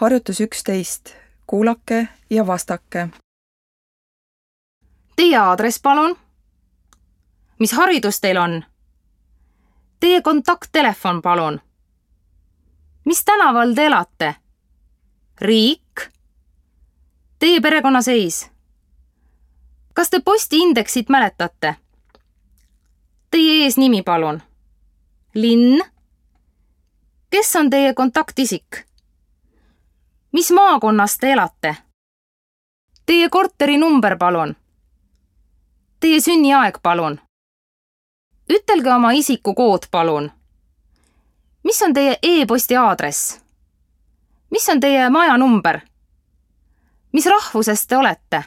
Harjutus 11. Kuulake ja vastake. Teie aadress, palun. Mis haridus teil on? Teie kontakttelefon, palun. Mis tänaval te elate? Riik? Teie perekonnaseis? Kas te postiindeksit mäletate? Teie eesnimi, palun. Linn? Kes on teie kontaktisik? Mis maakonnas te elate? Teie korteri number, palun. Teie sünniaeg, palun. Ütelge oma isikukood, palun. Mis on teie e-posti aadress? Mis on teie maja number? Mis rahvusest te olete?